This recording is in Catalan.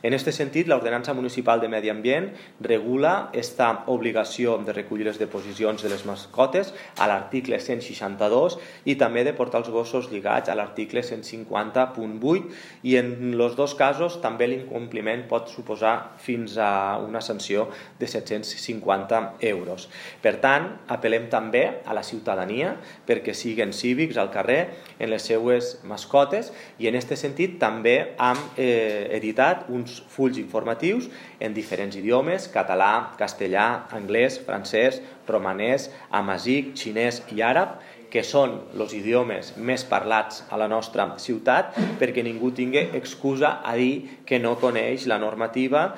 En aquest sentit, l'Ordenança Municipal de Medi Ambient regula esta obligació de recollir les deposicions de les mascotes a l'article 162 i també de portar els gossos lligats a l'article 150.8 i en els dos casos també l'incompliment pot suposar fins a una sanció de 750 euros. Per tant, apel·lem també a la ciutadania perquè siguin cívics al carrer en les seues mascotes i en aquest sentit també hem editat uns fulls informatius en diferents idiomes, català, castellà, anglès, francès, romanès, amazic, xinès i àrab, que són els idiomes més parlats a la nostra ciutat perquè ningú tingui excusa a dir que no coneix la normativa